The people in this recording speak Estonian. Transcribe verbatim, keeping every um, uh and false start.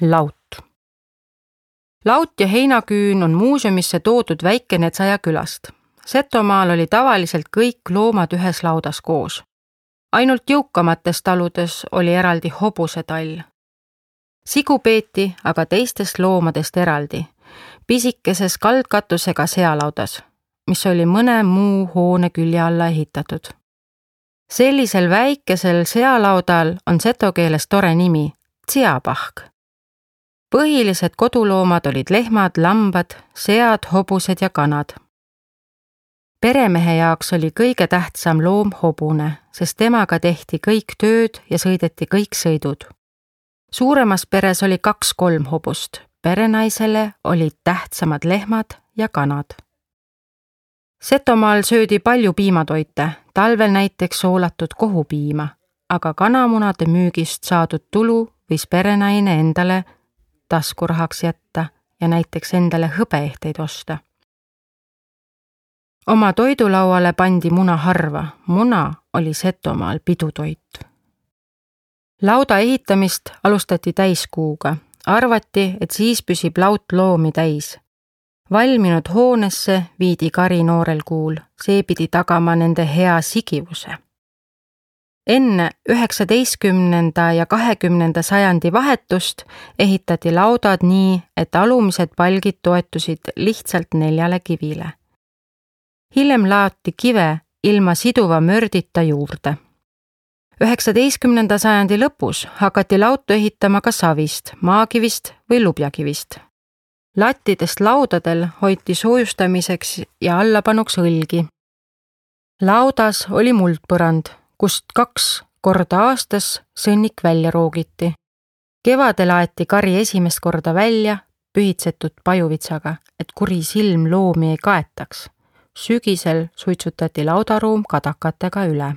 Laut. Laut ja heinaküün on muuseumisse toodud Väike-Netsaja külast. Setomaal oli tavaliselt kõik loomad ühes laudas koos. Ainult jõukamates taludes oli eraldi hobusetall. Sigu peeti aga teistest loomadest eraldi, pisikeses kaldkatusega sealaudas, mis oli mõne muu hoone külje alla ehitatud. Sellisel väikesel sealaudal on seto keeles tore nimi, tsiapahk. Põhilised koduloomad olid lehmad, lambad, sead, hobused ja kanad. Peremehe jaoks oli kõige tähtsam loom hobune, sest temaga tehti kõik tööd ja sõideti kõik sõidud. Suuremas peres oli kaks-kolm hobust, perenaisele olid tähtsamad lehmad ja kanad. Setomaal söödi palju piimatoite, talvel näiteks soolatud kohupiima, aga kanamunade müügist saadud tulu võis perenaine endale taskurahaks jätta ja näiteks endale hõbeehteid osta. Oma toidulauale pandi muna harva, muna oli Setomaal pidutoit. Lauda ehitamist alustati täiskuuga, arvati, et siis püsib laut loomi täis. Valminud hoonesse viidi kari noorel kuul, see pidi tagama nende hea sigivuse. Enne üheksateistkümnenda ja kahekümnenda sajandi vahetust ehitati laudad nii, et alumised palgid toetusid lihtsalt neljale kivile. Hiljem laati kive ilma siduva mördita juurde. üheksateistkümnenda sajandi lõpus hakati lautu ehitama ka savist, maakivist või lubjakivist. Lattidest laudadel hoiti soojustamiseks ja allapanuks õlgi. Laudas oli muldpõrand, kust kaks korda aastas sõnnik välja roogiti. Kevadel aeti kari esimest korda välja pühitsetud pajuvitsaga, et kuri silm loomi ei kaetaks. Sügisel suitsutati laudaruum kadakatega üle.